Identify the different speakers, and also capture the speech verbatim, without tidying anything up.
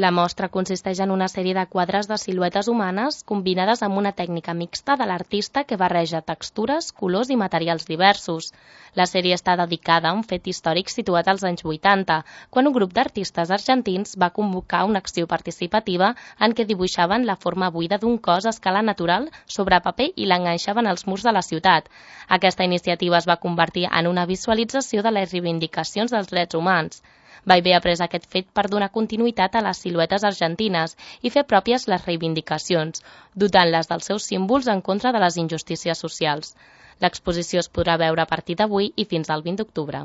Speaker 1: La mostra consisteix en una sèrie de quadres de siluetes humanes combinades amb una tècnica mixta de l'artista que barreja textures, colors i materials diversos. La sèrie està dedicada a un fet històric situat als anys vuitanta, quan un grup d'artistes argentins va convocar una acció participativa en què dibuixaven la forma buida d'un cos a escala natural sobre paper i l'enganxaven als murs de la ciutat. Aquesta iniciativa es va convertir en una visualització de les reivindicacions dels drets humans. Ballbé ha pres aquest fet per donar continuïtat a les siluetes argentines i fer pròpies les reivindicacions, dotant-les dels seus símbols en contra de les injustícies socials. L'exposició es podrà veure a partir d'avui i fins al vint d'octubre.